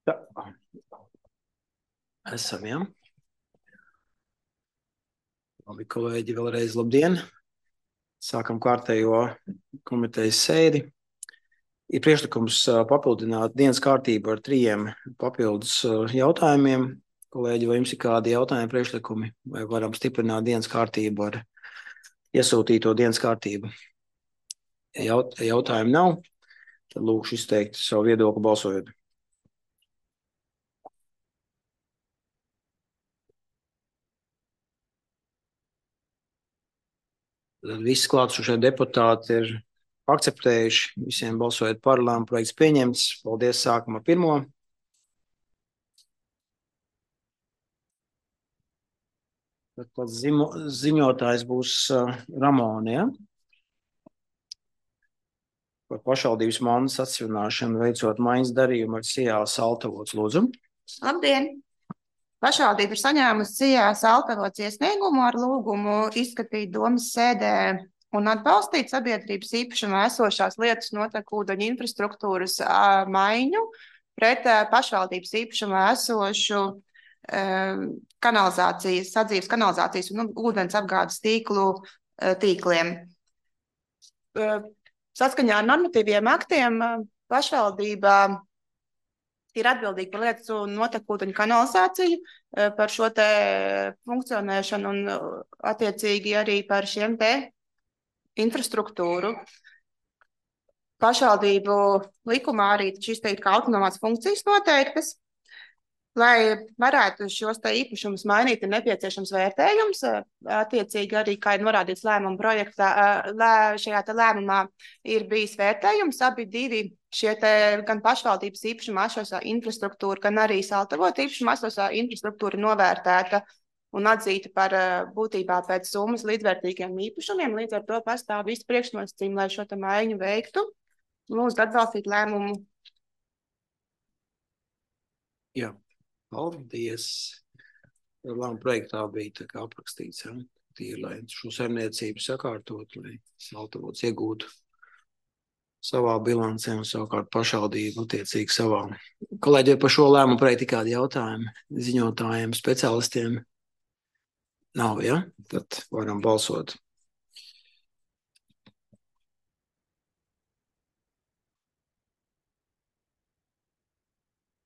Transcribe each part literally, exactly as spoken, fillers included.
Jā. Esam, jā. Labi, kolēģi, vēlreiz labdien. Sākam kārtējo komitejas sēdi. Ir priekšlikums papildināt dienas kārtību ar trījiem papildus jautājumiem. Kolēģi, vai jums ir kādi jautājumi, priekšlikumi, vai varam stiprināt dienas kārtību ar iesūtīto dienas kārtību? Ja jaut, jautājumu nav, tad lūkšu izteikt savu viedokli balsojot. Tad visi klātsošie deputāti ir akceptējuši, visiem balsojot par, lēmuma projekts pieņemts. Paldies, sākam ar pirmo. Tad zimo, ziņotājs būs uh, Ramona, ja? Par pašvaldības mandas atsvināšanu veicot maiņas darījumu ar Sijās Altavots, lūdzu. Labdien! Pašvaldība ir saņēmusi Sijās Altavots iesniegumu ar lūgumu izskatīt domas sēdē un atbalstīt sabiedrības īpašumā esošās lietas notekūdeņu infrastruktūras ā, maiņu pret ā, pašvaldības īpašumā esošu ā, kanalizācijas, sadzīves kanalizācijas un ūdens apgādes tīklu ā, tīkliem. Ā, Saskaņā ar normatīviem aktiem ā, pašvaldībā ir atbildīgi par lietas un notekūdeņu kanalizāciju, par šo te funkcionēšanu un attiecīgi arī par šiem te infrastruktūru. Pašvaldību likumā arī šīs te kā autonomās funkcijas noteiktas. Lai varētu šos te īpašumus mainīt, ir nepieciešams vērtējums. Attiecīgi arī, kā ir norādīts lēmuma projektā, lē, šajā te lēmumā ir bijis vērtējums. Abi divi šie te gan pašvaldības īpašumā esošā infrastruktūra, gan arī Altavotu īpašumā esošā infrastruktūra novērtēta un atzīta par būtībā pēc summas līdzvērtīgiem īpašumiem. Līdz ar to pastāv visi priekšnosacījumi, lai šo te maiņu veiktu. Lūdzu atbalstīt lēmumu. Jā. Paldies. Lēmuma projektā bija tā kā aprakstīts, ja? Tīri, lai šo saimniecību sakārtot, lai Altavots iegūtu savā bilancē un savukārt pašvaldību attiecīgi savā. Kolēģi, par šo lēmumu projektu kādi jautājumi ziņotājiem, speciālistiem? Nav, ja? Tad varam balsot.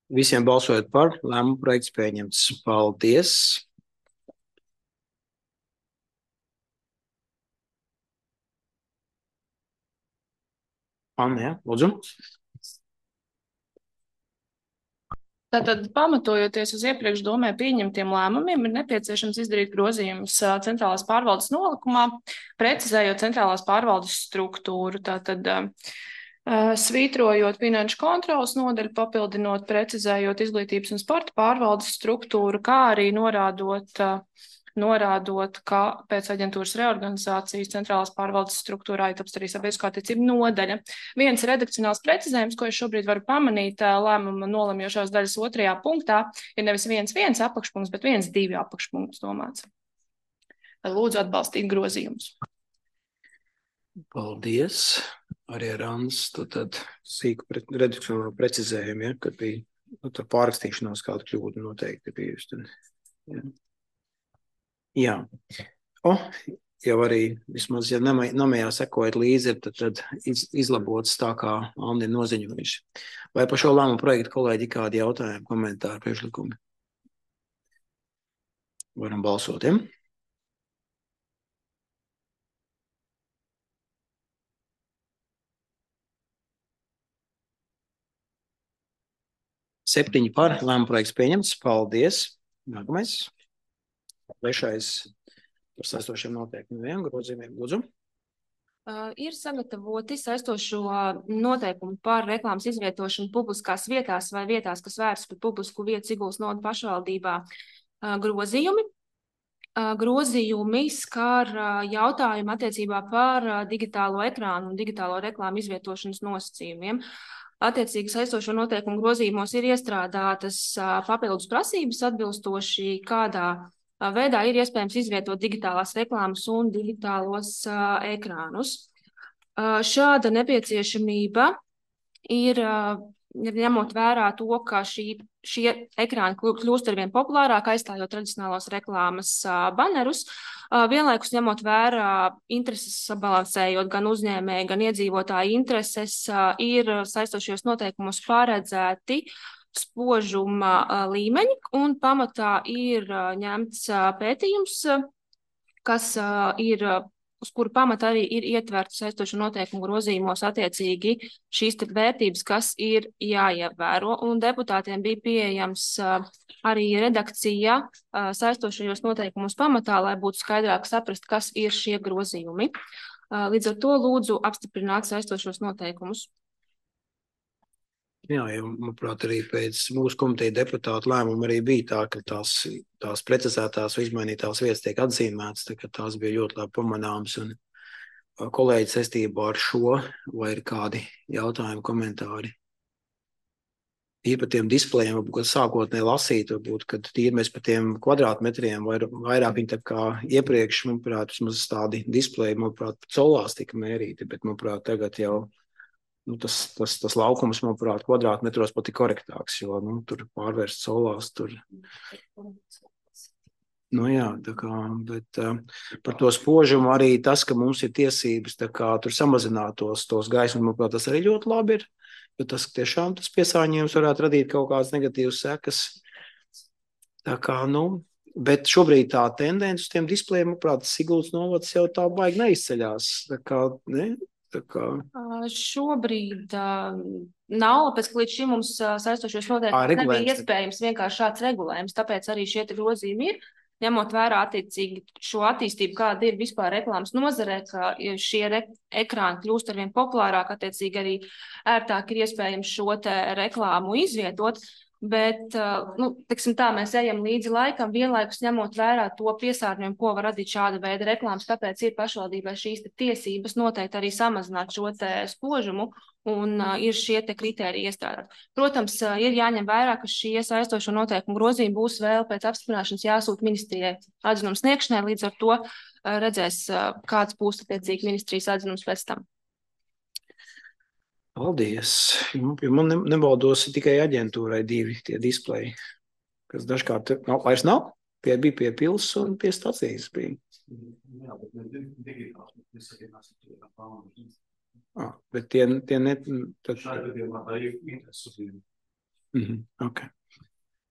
Visiem balsojot par, lēmuma projekts pieņemts. Paldies! Anna, ja? Lūdzu. Tātad, pamatojoties uz iepriekš domē pieņemtiem lēmumiem, ir nepieciešams izdarīt grozījumus centrālās pārvaldes nolikumā, precizējot centrālās pārvaldes struktūru. Tātad, uh, svītrojot finanšu kontrolas nodaļu, papildinot, precizējot izglītības un sporta pārvaldes struktūru, kā arī norādot, uh, norādot, ka pēc aģentūras reorganizācijas centrālās pārvaldes struktūrā ietilpst arī sabiedrisko attiecību nodaļa. Viens redakcionāls precizējums, ko es šobrīd varu pamanīt lēmuma nolemjošās daļas otrajā punktā, ir nevis viens viens apakšpunkts, bet viens divi apakšpunkts domāts. Lūdzu atbalstīt grozījumus. Paldies. Arī ar Annas, tad sīku redakcionālu precizējumu, ja, kad bija nu, pārrakstīšanās kāda kļūda noteikti bijusi. Ja. Jā. O, jau arī vismaz, ja namējā sekojat līdzi, tad, tad iz, izlabots tā, kā Andi ir noziņojuši. Vai par šo lēmumu projektu kolēģi kādi jautājumi, komentāri, priekšlikumi? Varam balsot, ja? Septiņi par, lēmumu projekts pieņemts. Paldies. Nākamais. Trešais par saistošiem noteikumiem, grozījumiem, lūdzu. Uh, ir sagatavoti saistošo noteikumu par reklāmas izvietošanu publiskās vietās vai vietās, kas vērstas par publisku vietu Siguldas novadas pašvaldībā uh, grozījumi. Uh, grozījumi skar uh, jautājumu attiecībā par uh, digitālo ekrānu un digitālo reklāmu izvietošanas nosacījumiem. Attiecīgi saistošo noteikumu grozījumos ir iestrādātas uh, papildus prasības atbilstoši kādā veidā ir iespējams izvietot digitālās reklāmas un digitālos uh, ekrānus. Uh, šāda nepieciešamība ir uh, ņemot vērā to, ka šī, šie ekrāni kļūst arvien populārāk, aizstājot tradicionālos reklāmas uh, banerus, uh, vienlaikus ņemot vērā intereses sabalansējot gan uzņēmēji, gan iedzīvotāji intereses, uh, ir saistošajos noteikumos paredzēti spožuma uh, līmeņi, un pamatā ir uh, ņemts uh, pētījums, uh, kas uh, ir uh, uz kuru pamata arī ir ietverts saistošu noteikumu grozījumos attiecīgi šīs vērtības, kas ir jāievēro. Un deputātiem bija pieejams uh, arī redakcija uh, saistošajos noteikumus pamatā, lai būtu skaidrāk saprast, kas ir šie grozījumi. Uh, līdz ar to lūdzu apstiprināt saistošos noteikumus. Jā, ja, manuprāt, arī pēc mūsu komiteja deputātu lēmuma arī bija tā, ka tās, tās precizētās vai izmainītās vietas tiek atzīmētas, tā, ka tās bija ļoti labi pamanāmas. Un kolēģi saistībā ar šo, vai ir kādi jautājumi, komentāri? Ir par tiem displejiem, varbūt sākotnēji lasīt, varbūt, kad tīri mēs par tiem kvadrātmetriem vai vairāk viņi tā kā iepriekš, manuprāt, vismaz tādi displeji, manuprāt, colās tika mērīti, bet, manuprāt, tagad jau Nu, tas, tas, tas laukums, manuprāt, kvadrātmetros pat ir korektāks, jo nu, tur pārvērst solās. Tur... Nu, jā, tā kā, bet uh, par to spožumu arī tas, ka mums ir tiesības tā kā, tur samazinātos tos gaismas, manuprāt, tas arī ļoti labi ir. Jo tas tiešām tas piesārņojums varētu radīt kaut kādas negatīvas sekas. Tā kā, nu, bet šobrīd tā tendence uz tiem displejiem, manuprāt, Siguldas novads jau tā baigi neizceļās. Tā kā, ne? Kā... Uh, šobrīd uh, nav, pēc ka līdz šim mums uh, saistošos noteikumus nebija iespējams vienkārši šāds regulējums, tāpēc arī šie grozījumi ir, ņemot vērā attiecīgi šo attīstību, kāda ir vispār reklāmas nozarē, ka šie re ekrāni kļūst arvien populārāk, attiecīgi arī ērtāk ir iespējams šo te reklāmu izvietot. Bet, nu, tiksim tā, mēs ejam līdzi laikam, vienlaikus ņemot vērā to piesārņojumu, ko var radīt šāda veida reklāmas, tāpēc ir pašvaldībai šīs te tiesības noteikti arī samazināt šo te spožumu un uh, ir šie te kritēriji iestrādāt. Protams, uh, ir jāņem vērā, ka šie saistošo noteikumu grozījumi būs vēl pēc apstiprināšanas jāsūt ministrijai atzinums sniegšanai, līdz ar to uh, redzēs, uh, kāds būs attiecīgi ministrijas atzinums pēc tam. Paldies. Man nebaldos tikai aģentūrai divi tie displeji, kas dažkārt nav, vairs nav. Pie, bija pie pils un pie stacijas bija. Jā, bet ne digitāls. Ah, bet tie, tie net... Tad... Mhm, ok.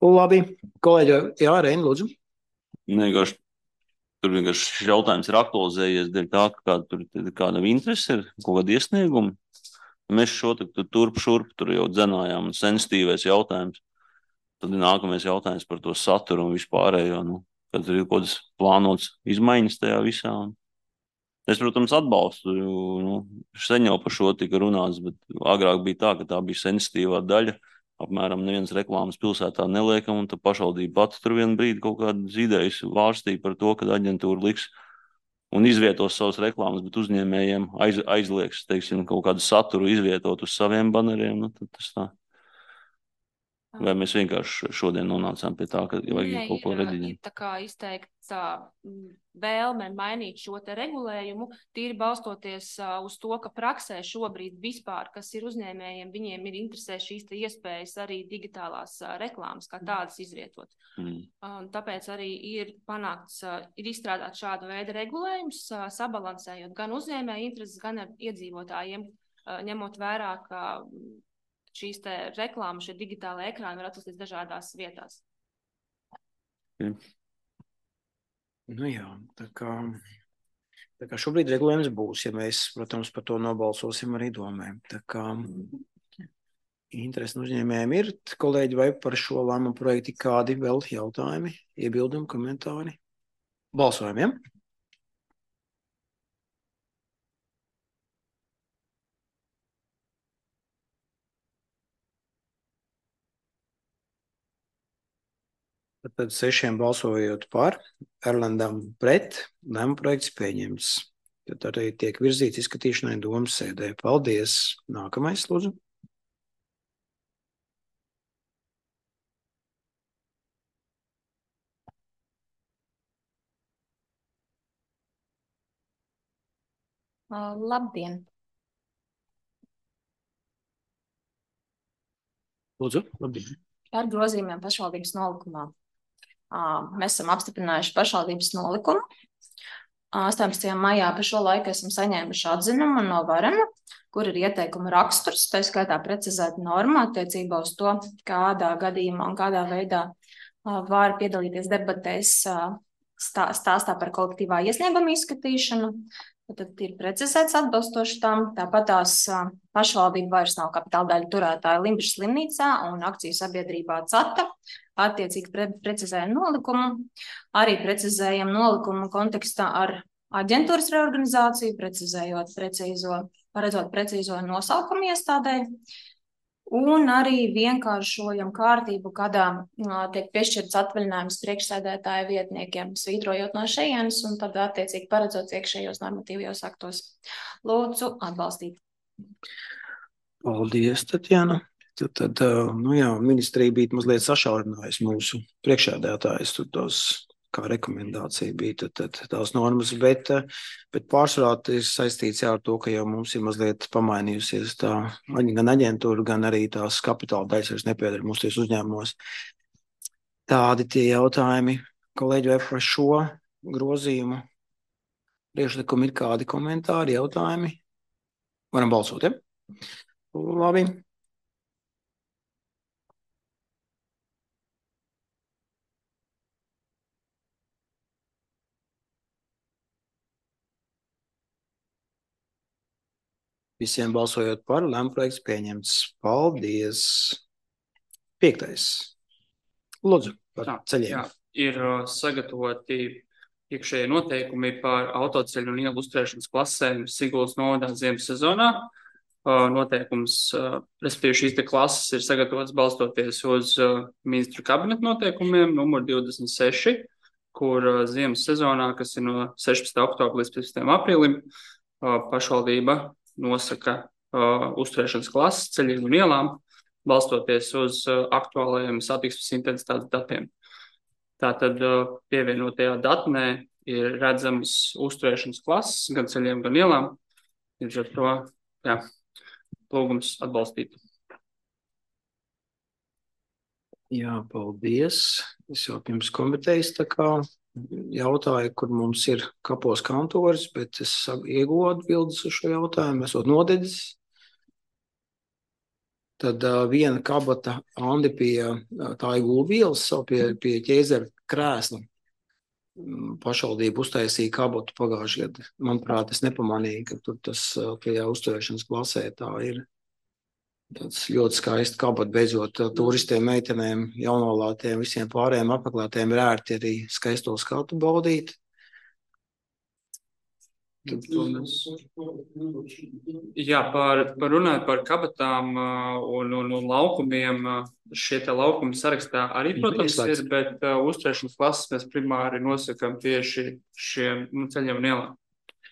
Labi. Kolēģi, jā, Reini, lūdzu. Vienkārši, tur vienkārši šis jautājums ir aktualizējies dēļ tā, ka kāda, tur ir kāda interese ir, kaut kāda iesnieguma. Mēs šo turp šurp tur jau dzenājām un sensitīvais jautājums. Tad ir nākamais jautājums par to saturu un vispārējo, nu, kad ir kaut kādas plānotas izmaiņas tajā visā. Un es, protams, atbalstu, jo, nu, sen jau par šo tika runāts, bet agrāk bija tā, ka tā bija sensitīvā daļa. Apmēram neviens reklāmas pilsētā neliekam, un tad pašvaldība pati tur vienu brīdi kaut kādas idejas vārstīja par to, kad aģentūra liks un izvietos savas reklāmas, bet uzņēmējiem aiz, aizliegs, teiksim, kaut kādu saturu izvietot uz saviem baneriem, nu, tad tas tā. Vai mēs vienkārši šodien nonācām pie tā, ka vajag Nē, kaut ko rediģēt? Ir tā kā izteikts vēlme mainīt šo te regulējumu, tīri balstoties uz to, ka praksē šobrīd vispār, kas ir uzņēmējiem, viņiem ir interesē šīs te iespējas arī digitālās reklāmas, kā tādas izvietot. Mm. Tāpēc arī ir panākts, ir izstrādāt šādu veidu regulējums, sabalansējot gan uzņēmēju intereses, gan ar iedzīvotājiem, ņemot vērā, ka šīs te reklāmas, šie digitāli ekrāni var atrasties dažādās vietās. Mm. Nu jā, tā kā, tā kā šobrīd regulējums būs, ja mēs, protams, par to nobalsosim arī domēm. Tā kā interesi uzņēmējiem ir, kolēģi, vai par šo lēmumu projektu kādi vēl jautājumi, iebildumi, komentāri? Balsojumiem? Ja? Tad sešiem balsojot par, Erlandam pret, lēmuma projekts pieņemts. Tad arī tiek virzīts izskatīšanai domas sēdē. Paldies. Nākamais, lūdzu. Uh, labdien! Lūdzu, labdien. Par grozījumiem pašvaldības nolikumā. Mēs esam apstiprinājuši pašvaldības nolikumu. astoņpadsmitajā maijā pa šo laiku esam saņēmuši atzinumu no Varena, kur ir ieteikuma raksturs, tā skaitā precizēta norma attiecībā uz to, kādā gadījumā un kādā veidā var piedalīties debatēs stā, stāstā par kolektīvā iesnieguma izskatīšanu. Tad ir precizēts atbilstoši tam. Tāpat tās pašvaldība vairs nav kapitāla daļu turētāja Limbišas slimnīcā un akciju sabiedrībā CATA. Attiecīgi pre, precizējam nolikumu. Arī precizējam nolikumu kontekstā ar aģentūras reorganizāciju, precizējot precīzo, paredzot precīzo nosaukumu iestādē. Un arī vienkāršojam kārtību, kādā tiek piešķirts atvaļinājums priekšsēdētāja vietniekiem, svītrojot no šejienes un tad attiecīgi paredzot iekšējos normatīvajos aktos. Lūdzu, atbalstīt. Paldies, Tatjana. Tad, tad nu jā, ministrija bija mazliet sašaurinājusi mūsu priekšsēdētājus, tur tos, kā rekomendācija bija, tad, tad tās normas, bet, bet pārsvarā ir saistīts jā, ar to, ka jau mums ir mazliet pamainījusies tā gan aģentūra, gan arī tās kapitāla daļas vairs nepiedara mūsu ties uzņēmumos. Tādi tie jautājumi, kolēģi, vai par šo grozījumu priekšlikumu ir kādi komentāri, jautājumi? Varam balsot, ja? Labi. Visiem balsojot par, lēmumprojekts pieņemts. Paldies. Piektais. Lūdzu, par ceļiem. Jā, ir uh, sagatavoti iekšējie noteikumi par autoceļu un ielu uzturēšanas klasēm Siguldas novadā ziemas sezonā. Uh, noteikums, uh, respektīvi šīs te klases ir sagatavotas balstoties uz uh, ministru kabineta noteikumiem numur divdesmit seši, kur uh, ziemas sezonā, kas ir no sešpadsmitā oktobra līdz piecpadsmitajam aprīlim, uh, pašvaldība nosaka uh, uzturēšanas klases ceļiem un ielām, balstoties uz uh, aktuālajiem satiksmes intensitātes datiem. Tātad uh, pievienotajā datnē ir redzamas uzturēšanas klases gan ceļiem, gan ielām. Līdz ar to, jā, lūgums atbalstīt. Jā, paldies. Es jau pirms komitejas tā kā jautāju, kur mums ir kapos kantoris, bet es ieguvu atbildes uz šo jautājumu, esot nodedzis. Tad uh, viena kabata Andi pie tā Igulvielas, pie, pie ķēzera krēsla. Pašvaldība uztaisīja kabatu pagājušajā gadā. Manuprāt, es nepamanīju, ka tur tas tajā uzturēšanas klasē tā ir. Tāds ļoti skaisti kabat, beidzot turistiem, meitenēm, jaunolātiem, visiem pārējiem apmeklētiem ir ērti arī skaisto skatu baudīt. Jā, par, par runāt par kabatām un, un, un laukumiem, šie te laukumi sarakstā arī, protams, ir, bet uh, uzturēšanas klases mēs primāri nosakam tieši šiem nu, ceļiem un ielām.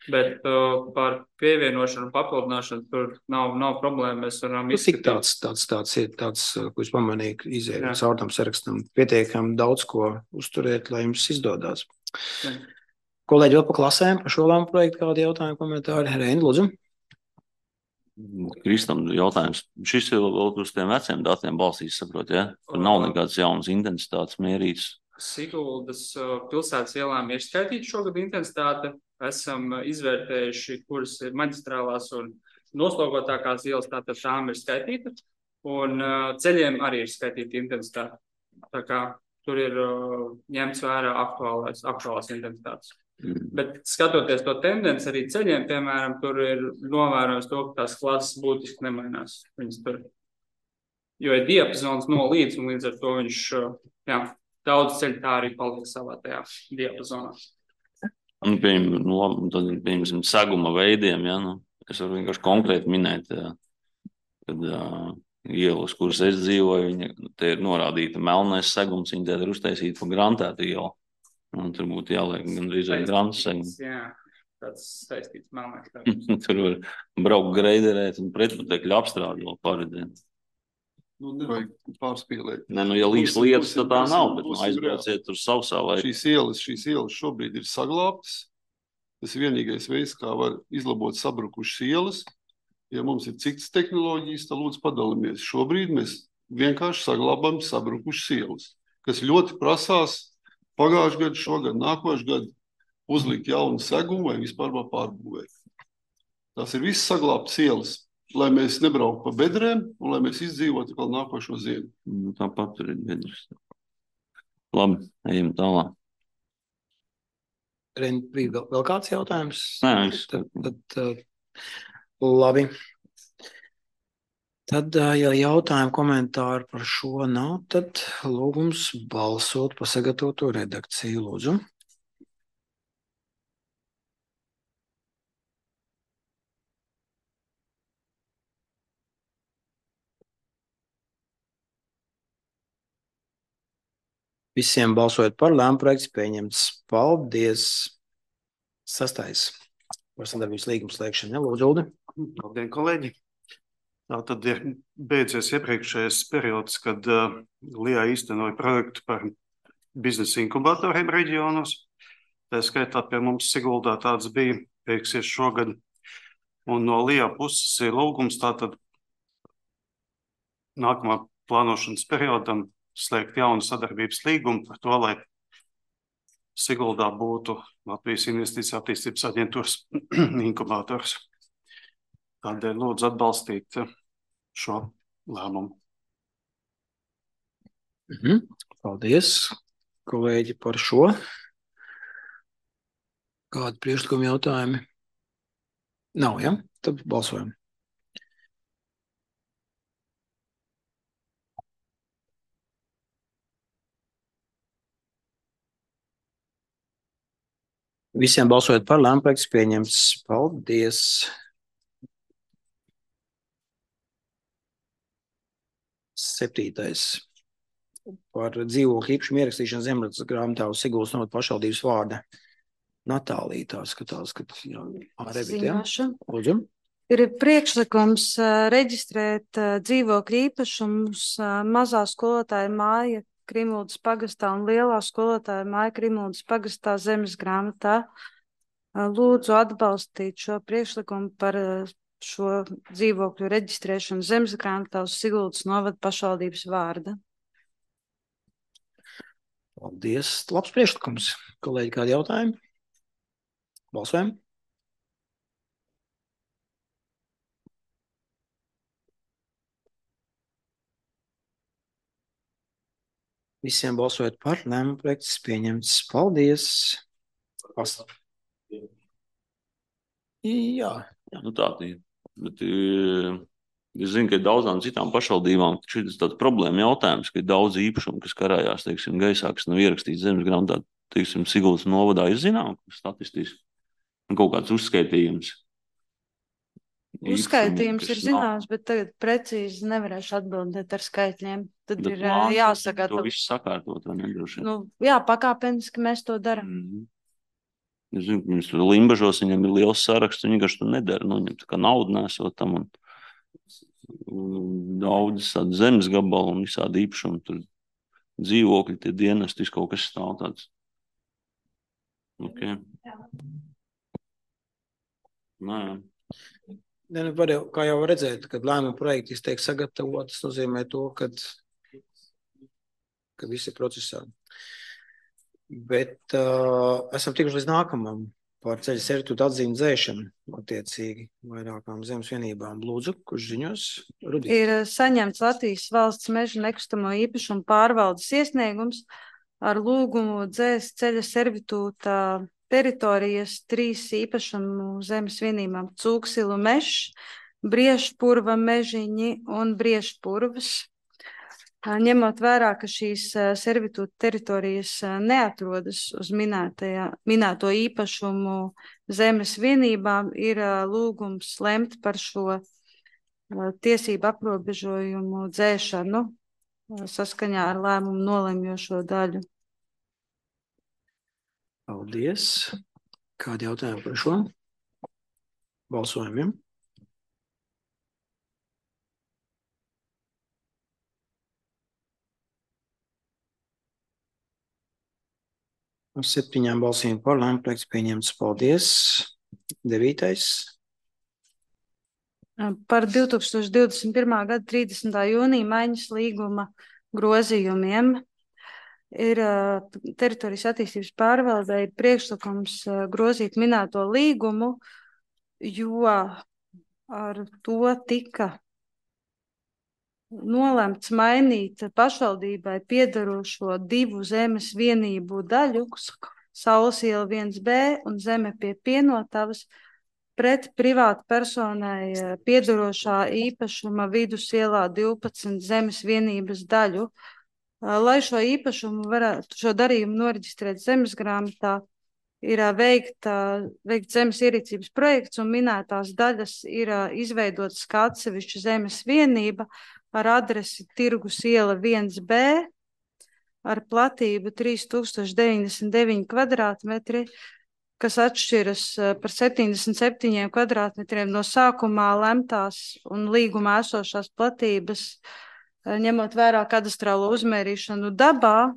Bet uh, par pievienošanu un papildināšanu tur nav, nav problēma. Mēs varam izskatīt. Cik tāds, tāds, tāds ir, tāds, ko es pamanīju, izēju caur tam sarakstam, pietiekami daudz ko uzturēt, lai jums izdodās. Jā. Kolēģi vēl pa klasēm, par šo lēmumu projektu kādi jautājumi, komentāri? Reini, lūdzu. Kristam jautājums. Šis ir vēl uz tiem veciem datiem balsīs, saprot, ja? Tur nav nekāds jaunas intensitātes mērīts. Siguldas pilsētas ielām ir skaitīta šogad intensitāte. Esam izvērtējuši, kuras ir maģistrālās un noslogotākās ielas, tātad tām ir skaitīta. Un ceļiem arī ir skaitīta intensitāte. Tā kā tur ir ņemts vērā aktuālās, aktuālās intensitātes. Mm. Bet skatoties to tendenci arī ceļiem, piemēram, tur ir novērojams to, ka tās klases būtiski nemainās. Viņas tur, jo ir diapazons no līdz, un līdz ar to viņš, jā, daudz ceļu tā arī paliek savā tajā diapazonā. Un, piemēram, no, tad, piemēram, seguma veidiem, ja, nu, es varu vienkārši konkrēti minēt, ja, kad uh, ielas, kuras es dzīvoju, viņa, te ir norādīta melnais segums, viņa te ir uztaisīta pa grantētu ielu. Un tur būtu jāliek gandrīz vai grantu segums. Jā, tāds saistīts melnais segums. Tur var braukt greiderēt un pretputekļu apstrādi vēl paredzēt. Nu, nevajag pārspīlēt. Ne, nu, ja līdz lietas, tad tā nav, bet nu, aizbrauciet tur sausā vai... Šīs ielas, šīs ielas šobrīd ir saglābtas. Tas ir vienīgais veids, kā var izlabot sabrukušas ielas. Ja mums ir citas tehnoloģijas, tad lūdzu padalāmies. Šobrīd mēs vienkārši saglabājam sabrukušas ielas, kas ļoti prasās pagājušajā gadā, šogad, nākošais gadu uzlikt jaunu segumu vai vispār pārbūvēt. Tās ir visas saglabātas ielas, lai mēs nebrauktu pa bedrēm un lai mēs izdzīvotu vēl nākošo ziemu. Nu, tāpat tur ir bedres. Labi, ejam tālāk. Reini, bija vēl, vēl kāds jautājums? Nē, viss. Tad, tad uh, labi. Tad, uh, ja jautājumu komentāru par šo nav, tad lūgums balsot par sagatavoto redakciju, lūdzu. Visiem balsojot par, lēmuma projekts pieņemts. Paldies! Sastais. Par sadarbības līgumu slēgšanu. Lūdzu, Uldi. Labdien, kolēģi! Tā tad ir beidzies iepriekšējais periods, kad uh, Lijā īstenoja projektu par biznesa inkubatoriem reģionos. Tā skaitā pie mums Siguldā tāds bija, beigsies šogad. Un no Lijā puses ir lūgums tātad nākamā plānošanas periodam slēgt jaunu sadarbības līgumu par to, lai Siguldā būtu Latvijas Investīcija attīstības aģentūras inkubators. Tādēļ lūdzu atbalstīt šo lēmumu. Mhm. Paldies, kolēģi, par šo. Kādi priekšlikumi jautājumi? Nav, ja? Tad balsojam. Visiem balsojot par, lēmuma projekts pieņemts. Paldies! Septītais. Par dzīvokļu īpašumu ierakstīšanu zemapziņas grāmatā uz Siguldas novada pašvaldības vārda. Natālija tā skatās, ka jā, Ziņošu. Lūdzu. Ir priekšlikums uh, reģistrēt uh, dzīvokļu īpašumus uh, mazā skolotāja māja Krimuldas pagastā un lielā skolotāja māja Krimuldas pagastā zemes grāmatā. Uh, lūdzu atbalstīt šo priekšlikumu par uh, šo dzīvokļu reģistrēšanu zemes grāmatā uz Siguldas novada pašvaldības vārda. Paldies. Labs priekšlikums. Kolēģi, kādi jautājumi? Balsojam. Visiem balsojot par, lēmuma projekts pieņemts. Paldies. Past. Jā. Nu tā ir. Bet es zinu, ka ir daudzām citām pašvaldībām, ka šis ir tāds problēma jautājums, ka ir daudz īpašumu, kas karājās, teiksim, gaisā, kas nav ierakstīts zemes grāmatā, teiksim, Siguldas novadā. Jūs zinām, statistiski. Kaut kāds uzskaitījums. Uzskaitījums ir zināms, bet tagad precīzi nevarēšu atbildēt ar skaitļiem. Tad bet ir plāns, jāsaka. To visu sakārtot, vai nedroši? Nu, jā, pakāpeniski mēs to darām. Mm. Es zinu, ka viņus tur Limbažos, viņam ir liels saraksts, viņi vienkārši to nedara. Nu, viņam tā kā naudu nesot tam un, un daudz tādu zemes gabalu un visādi īpašumu, tur dzīvokļi, tie dienesti, viss kaut kas stāv tāds. Ok. Nē. Ne, nu, var jau, kā jau redzēt, kad lēmuma projekti tiek sagatavot, tas nozīmē to, kad, ka visi ir procesā. Bet uh, esam tikuši līdz nākamam par ceļa servitūtu atzīmi dzēšanu attiecīgi vairākām zemes vienībām. Lūdzu, kurš ziņos? Rudī. Ir saņemts Latvijas valsts meža nekustamo īpašumu pārvaldes iesniegums ar lūgumu dzēst ceļa servitūta teritorijas trīs īpašumu zemes vienībām - Cūksilu mežs, Briešpurva mežiņi un Briešpurvas. Ņemot vērā, ka šīs servitūta teritorijas neatrodas uz minēto īpašumu zemes vienībām, ir lūgums lemt par šo tiesību aprobežojumu dzēšanu saskaņā ar lēmumu nolemjošo daļu. Paldies. Kādi jautājumi par šo? Balsojumiem. Ar septiņām balsīm par, lēmuma projekts pieņemts. Paldies. Devītais. par divi tūkstoši divdesmit pirmā gada trīsdesmitā jūnija maiņas līguma grozījumiem. Ir teritorijas attīstības pārvaldē ir priekšlikums grozīt minēto līgumu, jo ar to tika nolemts mainīt pašvaldībai piedarošo divu zemes vienību daļu, Saules iela viens B un zeme pie Pienotavas, pret privātu personai piedarošā īpašuma Vidus ielā divpadsmit zemes vienības daļu. Lai šo īpašumu varētu, šo darījumu noreģistrēt zemesgrāmatā, ir veikt, veikt zemes ierīcības projekts un minētās daļas ir izveidotas kā atsevišķa zemes vienība ar adresi Tirgus iela viens B ar platību trīs tūkstoši deviņdesmit deviņi kvadrātmetri, kas atšķiras par septiņdesmit septiņiem kvadrātmetriem no sākumā lemtās un līgumā esošās platības, ņemot vērā kadastrālo uzmērīšanu dabā.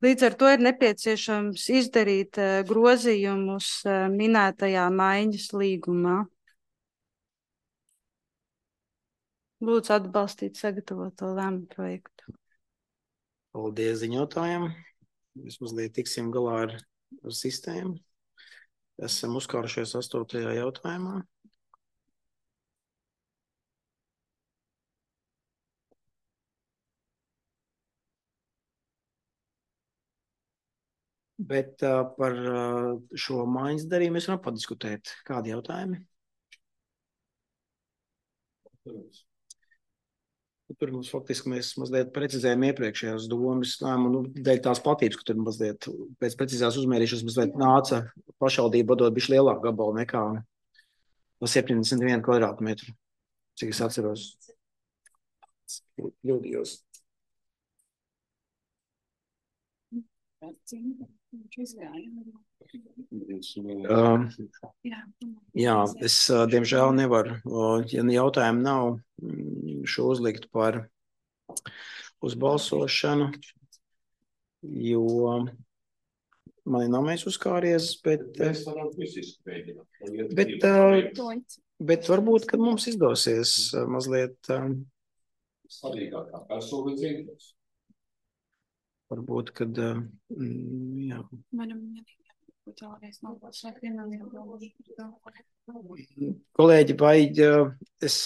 Līdz ar to ir nepieciešams izdarīt grozījumus minētajā maiņas līgumā. Lūdzu atbalstīt sagatavoto lēmumu projektu. Paldies ziņotājiem. Mēs mazliet tiksim galā ar, ar sistēmu. Esam uzkārušies astotajā jautājumā. Bet uh, par uh, šo maiņas darījumu mēs varam padiskutēt. Kādi jautājumi? Tur mums faktiski mēs mazliet precizējam iepriekšējās domas lēmumu, nu, dēļ tās platības, ka tur mazliet pēc precīzās uzmērīšanas mazliet nāca pašvaldība dot bišķi lielāku gabalu nekā no septiņdesmit viena kvadrātmetru, cik es atceros. Kļūdījos. Uh, jā, es uh, diemžēl nevaru, uh, ja jautājumu nav, šo uzlikt par uzbalsošanu, jo man nav mēs uzkāries, bet, bet, uh, bet varbūt, kad mums izdosies uh, mazliet uh, svarīgākā personas intereses. Varbūt, kad, mm, jā. Kolēģi, vai es,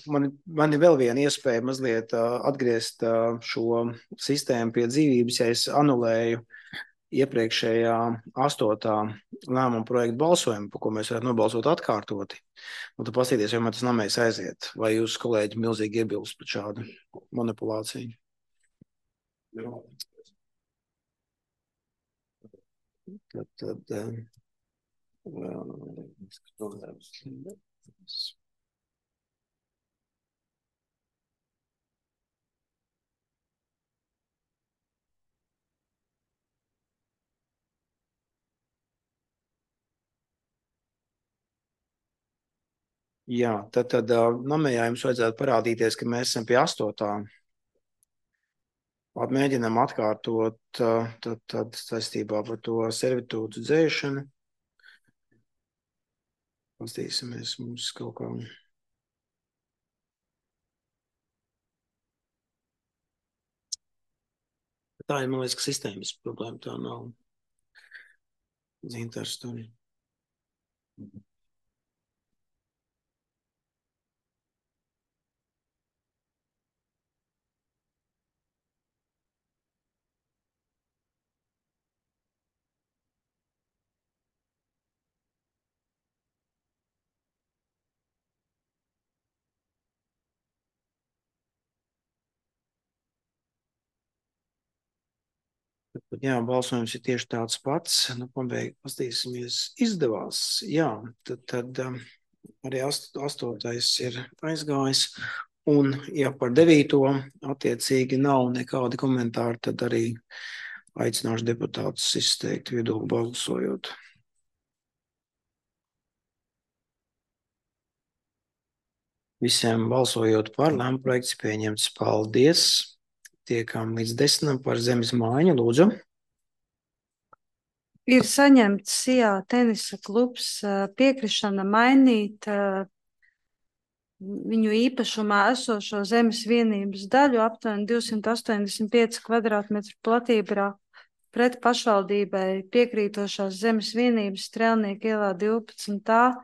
man, man ir vēl viena iespēja mazliet atgriezt šo sistēmu pie dzīvības, ja es anulēju iepriekšējā astotā lēmuma projekta balsojumu, par ko mēs varētu nobalsot atkārtoti. Un tu pastīties, vai man tas namēs aiziet, vai jūs, kolēģi, milzīgi iebilst par šādu manipulāciju. Jā. Tad, tad, uh, jā, tad, tad uh, namējā jums vajadzētu parādīties, ka mēs esam pie astotā. Mēģinām atkārtot tad, tad saistībā par to servitūdu dzēšanu. Pastīsimies mums kaut kā. Tā ir, man liekas, ka sistēmas problēma, tā nav. Zintars tur. Jā, balsojums ir tieši tāds pats. Nu, pabeig, pastīsimies, izdevās. Jā, tad, tad um, arī ast, astotais ir aizgājis. Un, ja par devīto attiecīgi nav nekādi komentāri, tad arī aicināšu deputātus izteikt viedokli balsojot. Visiem balsojot par, lēmuma projekts pieņemts. Paldies! Tiekam līdz desmitam par zemes mājiņu, lūdzu. Ir saņemts Sijā tenisa klubs piekrišana mainīt viņu īpašumā esošo zemes vienības daļu aptuveni divsimt astoņdesmit pieci kvadrātmetru platībā pret pašvaldībai piekrītošās zemes vienības Strēlnieku ielā divpadsmit A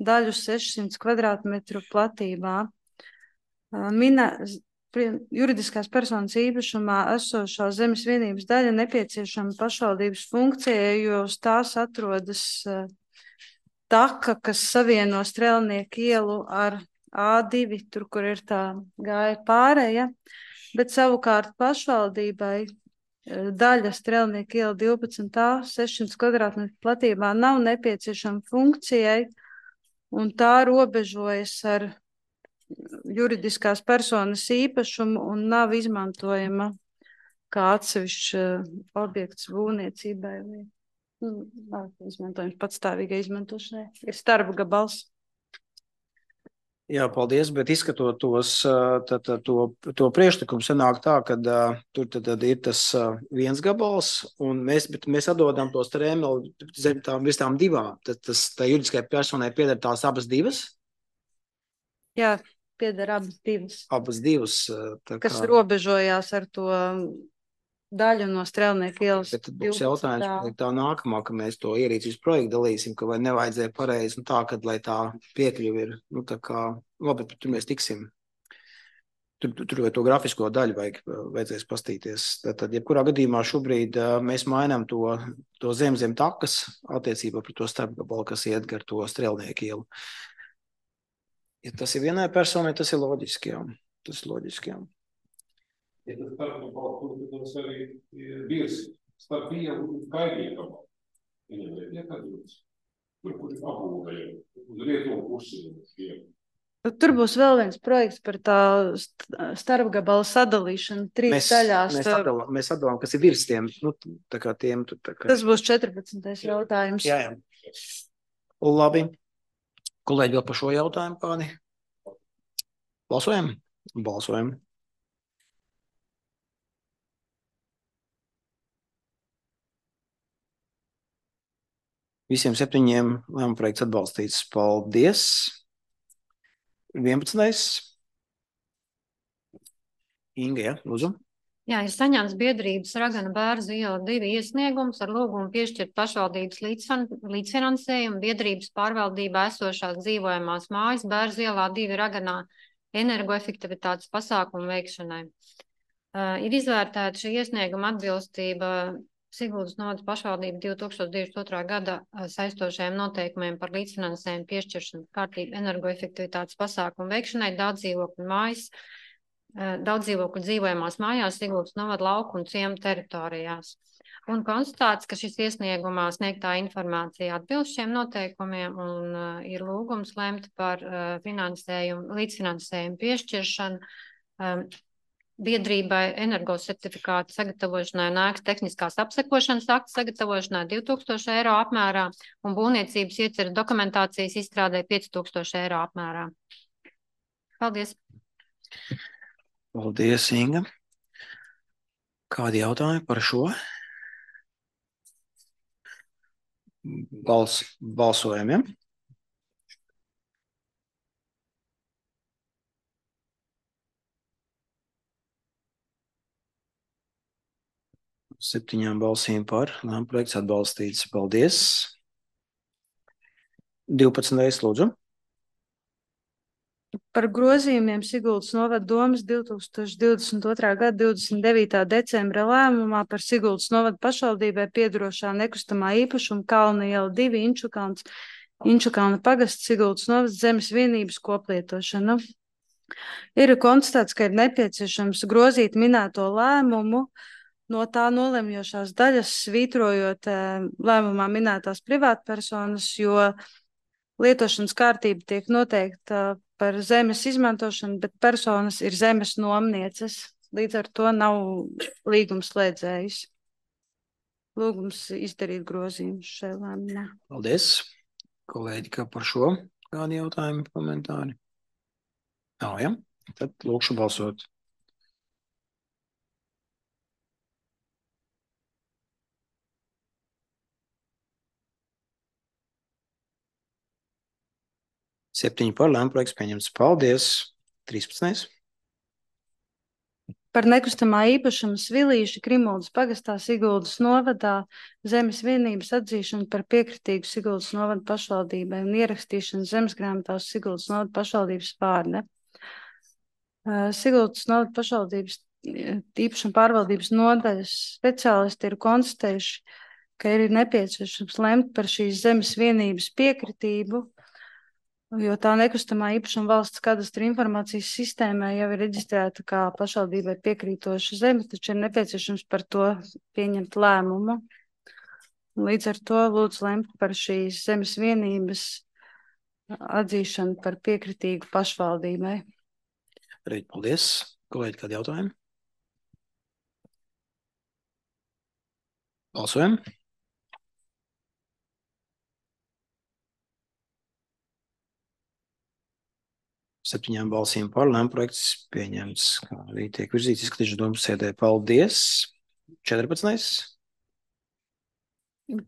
daļu sešsimt kvadrātmetru platībā. Minē, juridiskās personas īpašumā esošā zemes vienības daļa nepieciešama pašvaldības funkcijai, jo uz tās atrodas taka, kas savieno Strēlnieku ielu ar A divi, tur, kur ir tā gāja pārēja, bet savukārt pašvaldībai daļa Strēlnieku iela divpadsmit A sešsimt kvadrātmetru platībā nav nepieciešama funkcijai, un tā robežojas ar juridiskās personas īpašumu un nav izmantojama kā atsevišķs objekts būvniecībai vai nu, izmantojums patstāvīgai izmantošanai. Ir starp gabals. Jā, paldies, bet izskatot tos, tā, tā, to, to priekšlikumu, sanāk tā, ka uh, tur tad, tad ir tas uh, viens gabals, un mēs, bet mēs atdodam tos trēmeli zem tām visām divām. Tad tas tā juridiskai personai pieder tās abas divas? Jā, pieder abas divas. Abas divas. Tā kā... Kas robežojās ar to daļu no Strēlnieku ielas. Bet tad būs jautājums, vai tā nākamā, ka mēs to ierīcības projektu dalīsim, ka vai nevajadzēja pareizi, nu tā, kad, lai tā piekļuva ir, nu tā kā, labi, tur mēs tiksim. Tur, tur vai to grafisko daļu vajag, vajadzēs pastīties. Tad, tad jebkurā gadījumā šobrīd uh, mēs mainām to, to zem zem takas attiecībā par to starpgabalu, kas iet gar to Strēlnieku ielu. Ja tas ir vienai personai, tas ir loģiski, jā. Tas ir loģiski, jā. Ja tas starpgabalu, kur tas arī virs starp vielu un kaimiņu, viņam ir iekādīts, tur, kur ir apbūvēja, uz rietumu pusi. Tur būs vēl viens projekts par tā starpgabalu sadalīšanu trīs mēs, daļās. Mēs sadalām, mēs sadalām, kas ir virs tiem, nu, tā kā tiem. Tā kā... Tas būs četrpadsmitais jautājums. Jā, jā. Labi. Kolēģi vēl par šo jautājumu kādi? Balsojam? Balsojam. Visiem septiņiem lēmuma projekts atbalstīts. Paldies. vienpadsmitais. Inga, ja, lūdzu. Jā, ir saņemts biedrības Ragana Bērzu iela divi iesniegums ar lūgumu piešķirt pašvaldības līdzfinansējumu biedrības pārvaldībā esošās dzīvojamās mājas Bērzu ielā divi Raganā energoefektivitātes pasākumu veikšanai. Uh, ir izvērtēta šī iesnieguma atbilstība Siguldas novadas pašvaldība divi tūkstoši divdesmit otrā gada saistošajiem noteikumiem par līdzfinansējumu piešķiršanu kārtību energoefektivitātes pasākumu veikšanai daudzdzīvokļu mājas, daudzdzīvokļu dzīvojamās mājās Siguldas novada lauku un ciemu teritorijās. Un konstatēts, ka šis iesniegumā sniegtā informācija atbilst šiem noteikumiem un uh, ir lūgums lemt par uh, finansējumu, līdzfinansējumu piešķiršanu um, biedrībai energosertifikātu sagatavošanai un ēkas tehniskās apsekošanas aktu sagatavošanai divi tūkstoši eiro apmērā un būvniecības ieceres dokumentācijas izstrādē pieci tūkstoši eiro apmērā. Paldies! Paldies, Inga. Kādi jautājumi par šo? Bals, balsojam, ja? Septiņām balsīm par. Lēmuma projekts atbalstīts. Paldies. divpadsmitais lūdzu. Par grozījumiem Siguldas novada domes divi tūkstoši divdesmit otrā gada divdesmit devītā decembra lēmumā par Siguldas novada pašvaldībai piedarošā nekustamā īpašuma Kalna iela divi Inčukalns, Inčukalna pagasts Siguldas novada zemes vienības koplietošanu. Ir konstatēts, ka ir nepieciešams grozīt minēto lēmumu no tā nolemjošās daļas, svītrojot lēmumā minētās privātpersonas, jo lietošanas kārtība tiek noteikta par zemes izmantošanu, bet personas ir zemes nomnieces. Līdz ar to nav līgums slēdzējis. Lūgums izdarīt grozījumus šajā lēmumā. Paldies. Kolēģi, kā par šo? Kādi jautājumi, komentāri? Nav, ja? Tad lūkšu balsot. Septiņi par lēmumu projekts pieņemts. Paldies. trīspadsmitais. Par nekustamā īpašuma Svilīša Krimuldas pagastā Siguldas novadā zemes vienības atzīšanu par piekritīgu Siguldas novada pašvaldībai un ierakstīšanu zemesgrāmatā uz Siguldas novada pašvaldības vārda. Siguldas novada pašvaldības īpašuma pārvaldības nodaļas speciālisti ir konstatējuši, ka ir nepieciešams lemt par šīs zemes vienības piekritību, jo tā nekustamā īpašuma valsts kadastra informācijas sistēmā jau ir reģistrēta kā pašvaldībai piekrītoša zeme, taču ir nepieciešams par to pieņemt lēmumu. Līdz ar to lūdzu lemt par šīs zemes vienības atzīšanu par piekritīgu pašvaldībai. Reid, paldies. Kolēģi, kādi jautājumi? Balsojam. Septiņām balsīm par lēmumu projekts pieņemts, kā arī tiek virzīts izskatīšanas domas sēdē. Paldies. četrpadsmitais.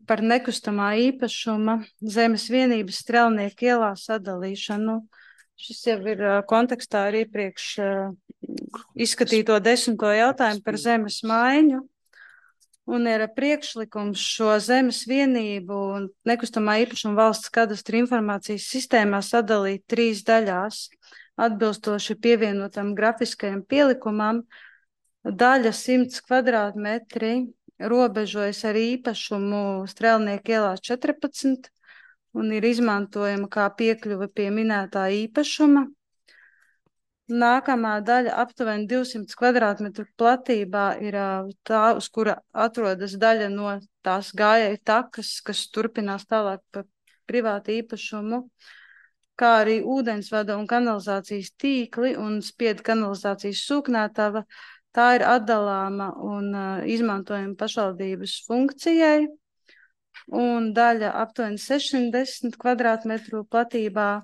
Par nekustamā īpašuma zemes vienības Strelnieku ielā sadalīšanu. Šis jau ir kontekstā ar iepriekš izskatīto desmito jautājumu par zemes maiņu. Un ir priekšlikums šo zemes vienību un nekustamā īpašuma valsts kadastra informācijas sistēmā sadalīt trīs daļās, atbilstoši pievienotam grafiskajam pielikumam. Daļa simts kvadrātmetri robežojas ar īpašumu Strelnieku ielā četrpadsmit un ir izmantojama kā piekļuve pie minētā īpašuma. Nākamā daļa aptuveni divsimt kvadrātmetru platībā ir tā, uz kura atrodas daļa no tās gājēju takas, kas turpinās tālāk pa privātu īpašumu, kā arī ūdensvada un kanalizācijas tīkli un spiedu kanalizācijas sūknētava. Tā ir atdalāma un uh, izmantojama pašvaldības funkcijai. Un daļa aptuveni sešsimt desmit kvadrātmetru platībā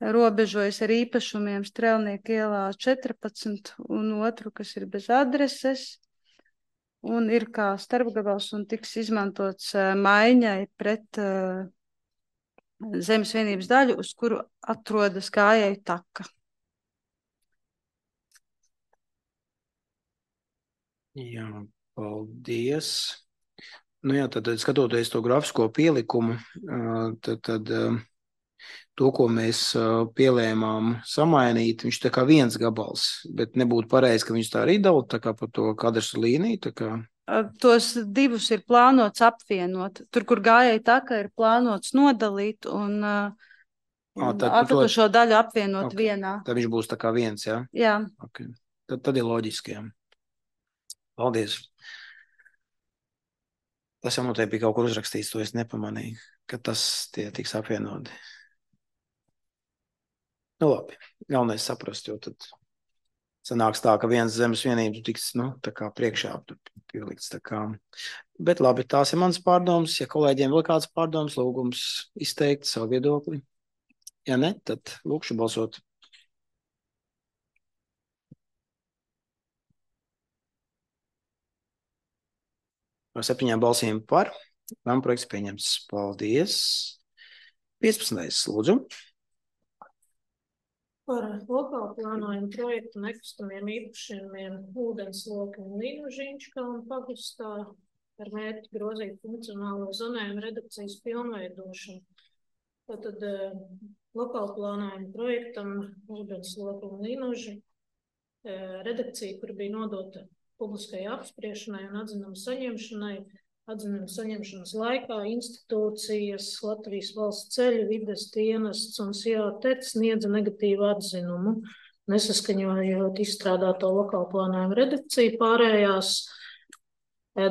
robežojas ar īpašumiem Strelnieku ielā četrpadsmit un otru, kas ir bez adreses, un ir kā starpgabals un tiks izmantots uh, maiņai pret uh, zemes vienības daļu, uz kuru atrodas gājēju taka. Jā, paldies. Nu jā, tad skatoties to grafisko pielikumu, tad, tad to, ko mēs pielēmām samainīt, viņš tā kā viens gabals, bet nebūtu pareizi, ka viņš tā arī dala, tā kā pa to kadastru līniju, tā kā. Tos divus ir plānots apvienot. Tur, kur gājēju taka, ir plānots nodalīt un atlikušo daļu apvienot okay. vienā. Tad viņš būs tā kā viens, jā? Jā. Okay. Tad, tad ir loģiski, jā. Paldies. Tas jau noteikti bija kaut kur uzrakstīts, to es nepamanīju, ka tas tie tiks apvienoti. Nu labi, galvenais saprast, jo tad sanāks tā, ka viens zemes vienības tiks, nu, tā kā priekšā pielikts, tā kā. Bet labi, tās ir mans pārdoms. Ja kolēģiem vēl kāds pārdoms, lūgums izteikt savu viedokli. Ja ne, tad lūkšu balsot. Ar septiņām balsīm par, lēmuma projekts pieņemts. Paldies. piecpadsmitais. Lūdzu. Par lokālu plānojumu projektu nekustamiem īpašumiem ūdensloki un Līnužiņškalnu pagastā ar mērķi grozīt funkcionālo zonējumu redakcijas pilnveidošanu. Tātad lokālu plānojumu projektam ūdensloki un Līnuži redakcija, kur bija nodota publiskai apspriešanai un atzinumu saņemšanai, atzinumu saņemšanas laikā institūcijas, Latvijas valsts ceļu, vides dienests un S I A T E C sniedza negatīvu atzinumu, nesaskaņojot izstrādāto lokālu plānojumu redakciju. Pārējās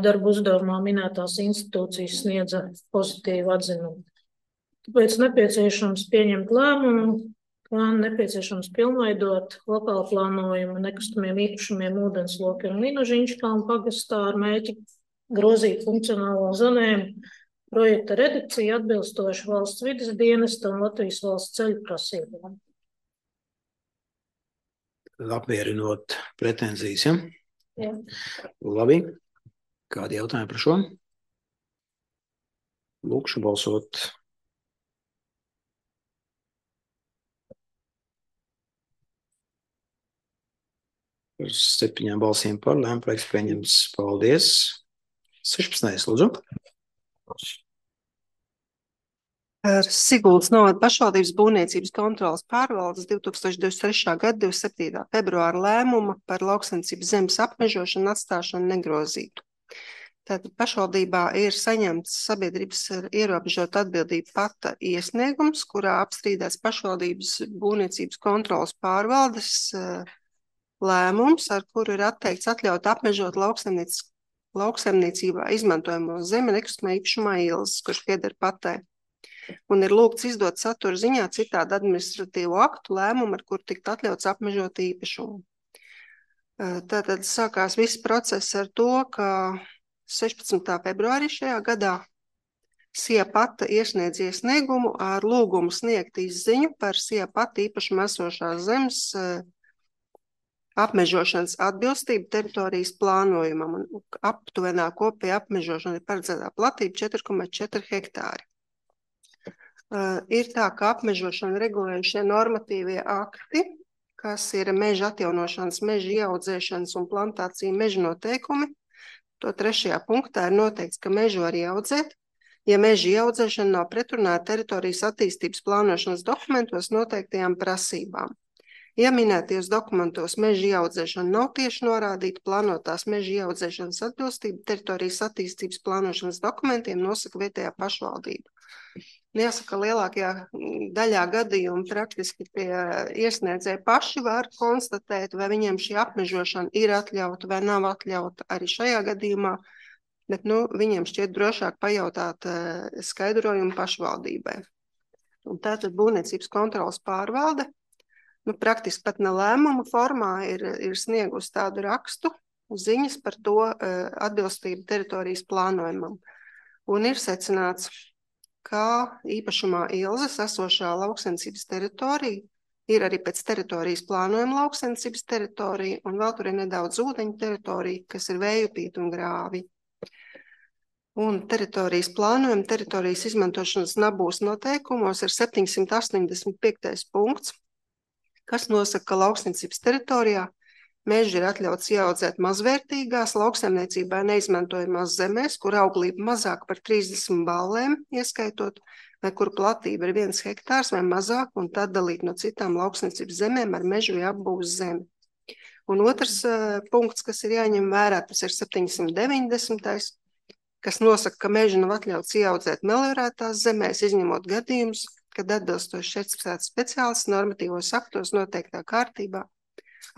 darbu uzdevumā minētās institūcijas sniedza pozitīvu atzinumu. Tāpēc nepieciešams pieņemt lēmumu, kā nepieciešams pilnveidot lokālu plānojumu nekustamiem īpašumiem ūdensloki un Līnužiņškalnu pagastā ar mērķi grozīt funkcionālo zonējumu projekta redakciju atbilstoši valsts vides dienesta un Latvijas valsts ceļu prasībām. Apmierinot pretenzijas, ja? Jā. Labi. Kādi jautājumi par šo? Lūkšu balsot. Par septiņām balsīm par lēmumu projekts pieņems. Paldies. sešpadsmitais lūdzu. Par Siguldas novada pašvaldības būvniecības kontrolas pārvaldes divs tūkstoši divdesmit trešā gada divdesmit septītā februāra lēmuma par lauksaimniecības zemes apmežošanu atstāšanu negrozītu. Tātad pašvaldībā ir saņemts sabiedrības ar ierobežotu atbildību pata iesniegums, kurā apstrīdēts pašvaldības būvniecības kontrolas pārvaldes lēmums, ar kuru ir atteikts atļaut apmežot lauksaimniecībā izmantojamo zemi nekustamā īpašumā Ilzes, kurš pieder patē. Un ir lūgts izdot satura ziņā citādu administratīvu aktu lēmumu, ar kuru tikt atļauts apmežot īpašumu. Tātad sākās viss process ar to, ka sešpadsmitā februārī šajā gadā Sija pata iesniedz iesniegumu ar lūgumu sniegt izziņu par Sija pata īpašumu esošās zemes apmežošanas atbilstību teritorijas plānojumam, un aptuvenā kopija apmežošana ir paredzētā platība četri komats četri hektāri. Uh, ir tā, ka apmežošana regulējušie normatīvie akti, kas ir meža atjaunošanas, meža ieaudzēšanas un plantācija meža noteikumi. To trešajā punktā ir noteikts, ka mežu var ieaudzēt, ja meža ieaudzēšana nav pretrunā ar teritorijas attīstības plānošanas dokumentos noteiktajām prasībām. Ja minētajos dokumentos meža ieaudzēšana nav tieši norādīta, plānotās meža ieaudzēšanas atbilstība teritorijas attīstības plānošanas dokumentiem nosaka vietējā pašvaldība. Jāsaka, lielākajā daļā gadījumu praktiski pie iesniedzēji paši var konstatēt, vai viņiem šī apmežošana ir atļauta vai nav atļauta arī šajā gadījumā, bet nu, viņiem šķiet drošāk pajautāt skaidrojumu pašvaldībai. Un tātad būvniecības kontrolas pārvalde, nu, praktiski pat ne lēmuma formā ir, ir sniegus tādu rakstu ziņas par to atbilstību teritorijas plānojumam. Un ir secināts, ka īpašumā Ilzes esošā lauksaimniecības teritorija ir arī pēc teritorijas plānojuma lauksaimniecības teritorija, un vēl tur ir nedaudz ūdeņu teritorija, kas ir vējupīti un grāvi. Un teritorijas plānojuma, teritorijas izmantošanas nabūs noteikumos ir septiņsimt astoņdesmit piektais punkts, kas nosaka, ka lauksaimniecības teritorijā meži ir atļauts ieaudzēt mazvērtīgās lauksaimniecībā neizmantojamās zemēs, kur auglība mazāk par trīsdesmit ballēm, ieskaitot, vai kur platība ir viens hektārs vai mazāk, un tad dalīt no citām lauksaimniecības zemēm ar mežu vai apbūves zemi. Un otrs uh, punkts, kas ir jāņem vērā, tas ir septiņsimt deviņdesmitais, kas nosaka, ka meži nav atļauts ieaudzēt meliorētās zemēs, izņemot gadījumus, kad atbilstoši certificēts speciālists normatīvos aktos noteiktā kārtībā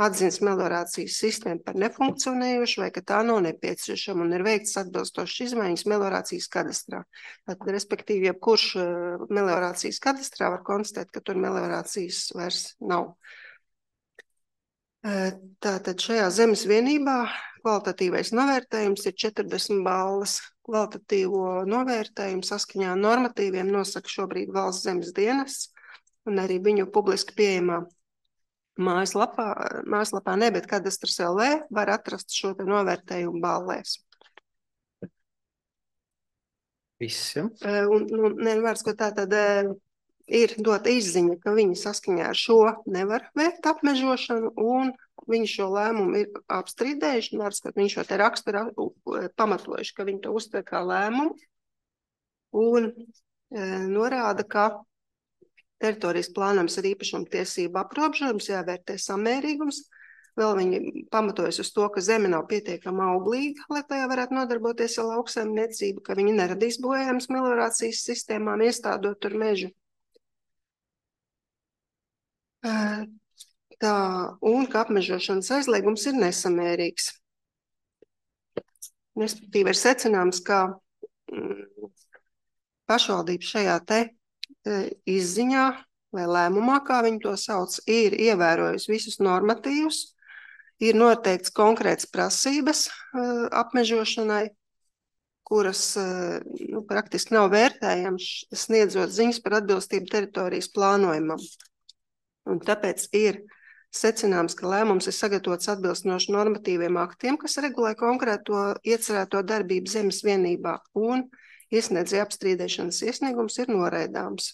atzins meliorācijas sistēmu par nefunkcionējošu vai ka tā nav nepieciešama un ir veikts atbilstošas izmaiņas meliorācijas kadastrā. Tad, respektīvi, jebkurš meliorācijas kadastrā var konstatēt, ka tur meliorācijas vairs nav. Tātad šajā zemes vienībā kvalitatīvais novērtējums ir četrdesmit balles. Kvalitatīvo novērtējumu saskaņā normatīviem nosaka šobrīd valsts zemes dienests un arī viņu publiski pieejamā Mājaslapā, mājaslapā ne, bet kadastras L V var atrast šo te novērtējumu ballēs. Viss, ja? Un, un nevārds, ko tā tad ir dota izziņa, ka viņi saskaņā ar šo nevar veikt apmežošanu, un viņi šo lēmumu ir apstrīdējuši, vārds, ka viņi šo te rakstu ir pamatojuši, ka viņi to uztver kā lēmumu, un e, norāda, ka teritorijas plānojums ar īpašumu tiesību aprobežojums, jāvērtē samērīgums. Vēl viņi pamatojas uz to, ka zeme nav pietiekama auglīga, lai tajā varētu nodarboties ar lauksaimniecību, ka viņi neradīs bojājumus meliorācijas sistēmām, iestādot tur mežu. Tā, un ka apmežošanas aizliegums ir nesamērīgs. Respektīvi ir secināms, ka mm, pašvaldība šajā te izziņā vai lēmumā, kā viņi to sauc, ir ievērojusi visus normatīvus, ir noteikts konkrēts prasības uh, apmežošanai, kuras uh, nu, praktiski nav vērtējams, sniedzot ziņas par atbilstību teritorijas plānojumam. Un tāpēc ir secināms, ka lēmums ir sagatavots atbilstoši normatīviem aktiem, kas regulē konkrēto iecerēto darbību zemes vienībā, un iesniedzēja apstrīdēšanas iesniegums ir noraidāms.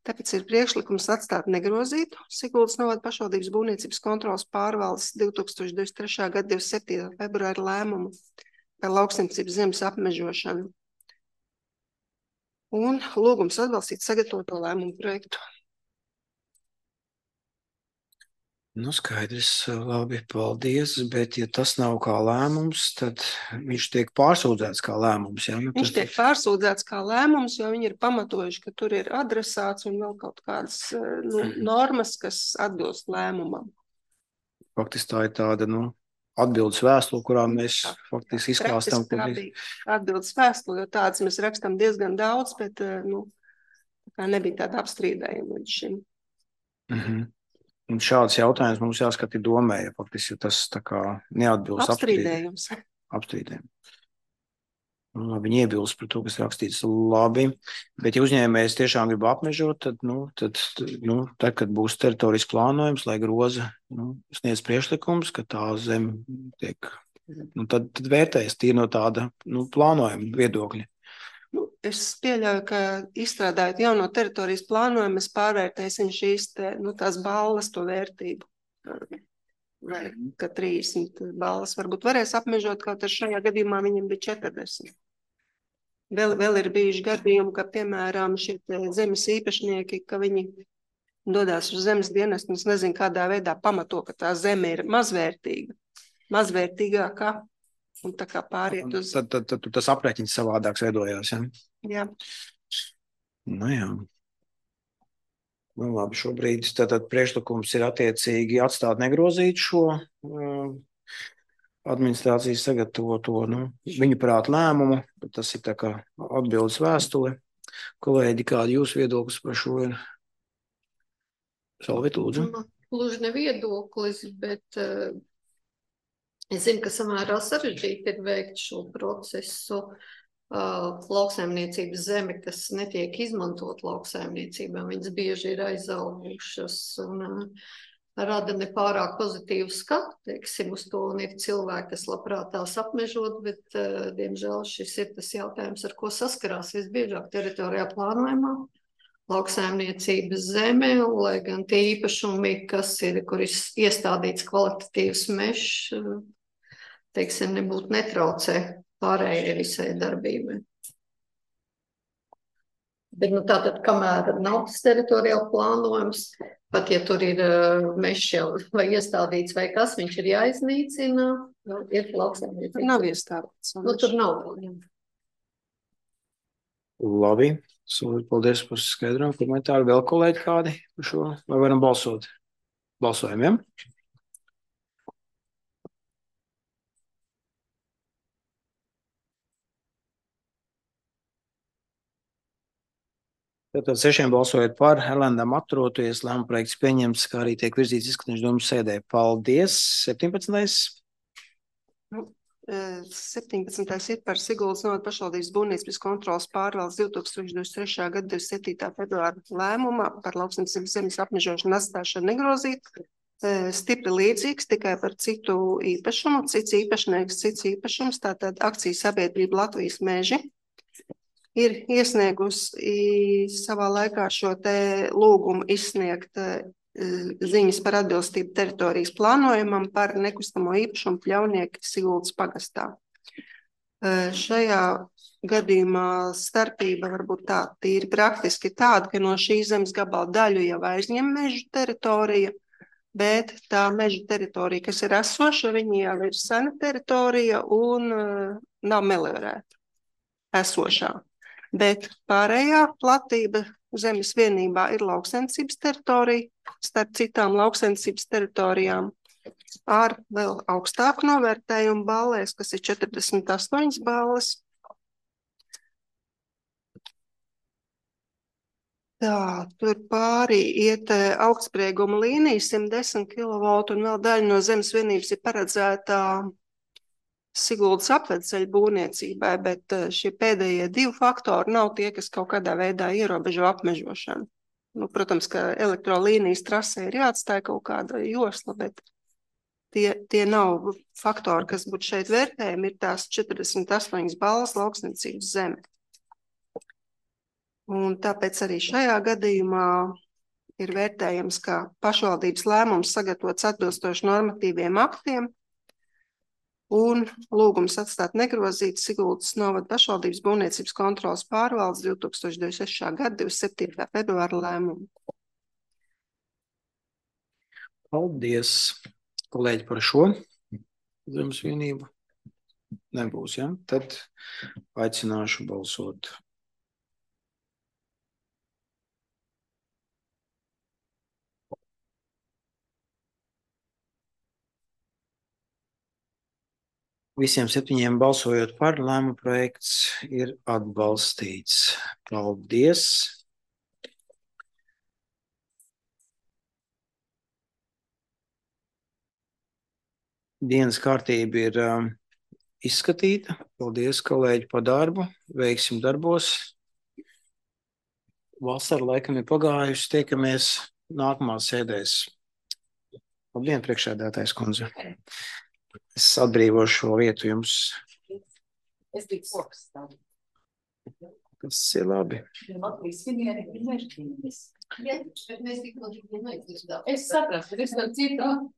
Tāpēc ir priekšlikums atstāt negrozītu Siguldas novada pašvaldības būvniecības kontrolas pārvaldes divi tūkstoši divdesmit trešā gada divdesmit septītā februāra lēmumu par lauksaimniecības zemes apmežošanu. Un lūgums atbalstīt sagatavoto lēmumu projektu. Nu, skaidrs, labi, paldies, bet ja tas nav kā lēmums, tad viņš tiek pārsūdzēts kā lēmums, jā? Nu, Viņš tas... tiek pārsūdzēts kā lēmums, jo viņi ir pamatojuši, ka tur ir adresāts un vēl kaut kādas nu, normas, kas atbilst lēmumam. Faktiski tā ir tāda, nu, atbildes vēstule, kurā mēs faktiski izklāstam. Praktiski tā bija atbildes vēstule, jo tādas mēs rakstam diezgan daudz, bet, nu, tā nebija tāda apstrīdējuma līdz šim. Mhm. Un šāds jautājums mums jāskata domē, ja faktiski tas tā kā neatbilst apstrīdējums. Apstrīdējums. Labi, viņi iebilst par to, kas rakstīts labi, bet ja uzņēmējs tiešām grib apmežot, tad, nu, tad, nu, tad, kad būs teritorijas plānojums, lai groza, nu, sniedz priekšlikums, ka tā zeme tiek, nu, tad, tad vērtējas tie no tāda, nu, plānojuma viedokļa. Nu, es pieļauju, ka izstrādājot jauno teritorijas plānojumu, mēs pārvērtēsim šīs te, nu, tās balvas to vērtību. Vai, ka trīsdesmit balvas varbūt varēs apmežot, kaut ar šajā gadījumā viņam bija četrdesmit. Vēl, vēl ir bijuši gadījumi, ka, piemēram, šie zemes īpašnieki, ka viņi dodās uz zemes dienestu, un es nezinu, kādā veidā pamato, ka tā zeme ir mazvērtīga, mazvērtīgākā. Un tā kā pāriet uz... Tad, tad, tad, tad tas aprēķins savādāks veidojās, ja? Jā. Nu jā. Nu labi, šobrīd tātad priekšlikums ir attiecīgi atstāt negrozīt šo uh, administrācijas sagatavoto, nu, viņu prāt lēmumu, bet tas ir tā kā atbildes vēstule. Kolēģi, kādi jūsu viedoklis par šo ir? Salvit, lūdzu. Gluži ne viedoklis, bet... Uh... Es zinu, ka samērā sarežģīti ir veikt šo procesu uh, lauksaimniecības zemi, kas netiek izmantot lauksaimniecībā. Viņas bieži ir aizaugušas un uh, rada nepārāk pozitīvu skatu, teiksim, uz to, un ir cilvēki, kas labprāt tās apmežot, bet, uh, diemžēl, šis ir tas jautājums, ar ko saskarās visbiežāk teritorijā plānojumā. Lauksaimniecības zeme, lai gan tie īpašumi, kas ir, kur ir iestādīts kvalitatīvs mežs, teiksim, nebūtu netraucē pārējai visai darbībai. Bet, nu, tātad, kamēr nav tas teritoriāli plānojums, pat ja tur ir uh, mežs jau vai iestādīts vai kas, viņš ir jāiznīcina, nu, ir lauksaimniecības. Tur nav iestādīts. Nu, tur nav vēl, jā. Labi, paldies par skaidrojumu komentāru. Vēl kolēģi kādi par šo? Vai varam balsot? Balsojam, ja? Tātad sešiem balsojot par, Helendam atturoties, lēmuma projekts pieņemts, kā arī tiek virzīts izskatīšanas domas sēdē. Paldies! septiņpadsmitais Nu, septiņpadsmitais ir par Siguldas novada pašvaldības būvniecības kontrolas pārvaldes divi tūkstoši divdesmit trešā gada divdesmit septītā februāra lēmumā par lauksaimniecības zemes apmežošanu atstāšanu negrozīt. Stipri līdzīgs, tikai par citu īpašumu, cits īpašnieks, cits īpašums, tātad akciju sabiedrība Latvijas meži ir iesniegusi savā laikā šo te lūgumu izsniegt ziņas par atbilstību teritorijas plānojumam par nekustamo īpašumu Pļaunieki Siguldas pagastā. Šajā gadījumā starpība varbūt tā tīri praktiski tāda, ka no šīs zemes gabala daļu jau aizņem mežu teritorija, bet tā meža teritorija, kas ir esoša, viņa jau ir sena teritorija un nav meliorēta esošā. Bet pārējā platība zemes vienībā ir lauksaimniecības teritorija, starp citām lauksaimniecības teritorijām ar vēl augstāku novērtējumu ballēs, kas ir četrdesmit astoņas balles. Tā, tur pārī iet augstsprieguma līnija, simt desmit kilovoltu, un vēl daļa no zemes vienības ir paredzēta Siguldas apvedceļa būvniecībai, bet šie pēdējie divi faktori nav tie, kas kaut kādā veidā ierobežo apmežošanu. Nu, protams, ka elektrolīnijas trasē ir jāatstāja kaut kāda josla, bet tie, tie nav faktori, kas būtu šeit vērtējumi, ir tās četrdesmit astoņas balvas lauksniecības zeme. Un tāpēc arī šajā gadījumā ir vērtējams, ka pašvaldības lēmums sagatavots atbilstoši normatīviem aktiem un lūgums atstāt negrozīts Siguldas novada pašvaldības būvniecības kontrolas pārvaldes divi tūkstoši divdesmit sestā gada divdesmit septītā februāra lēmumu. Paldies, kolēģi, par šo zemes vienību. Nebūs, ja? Tad aicināšu balsot. Visiem septiņiem balsojot par, lēmuma projekts ir atbalstīts. Paldies! Dienas kārtība ir um, izskatīta. Paldies, kolēģi, par darbu. Veiksim darbos. Vasara laikam ir pagājusi. Tiekamies nākamās sēdēs. Labdien, priekšsēdētājs kundze. Es atbrīvošu šo vietu jums. Es biju koks tādu. Tas ir labi. Es saprastu, es tam citu.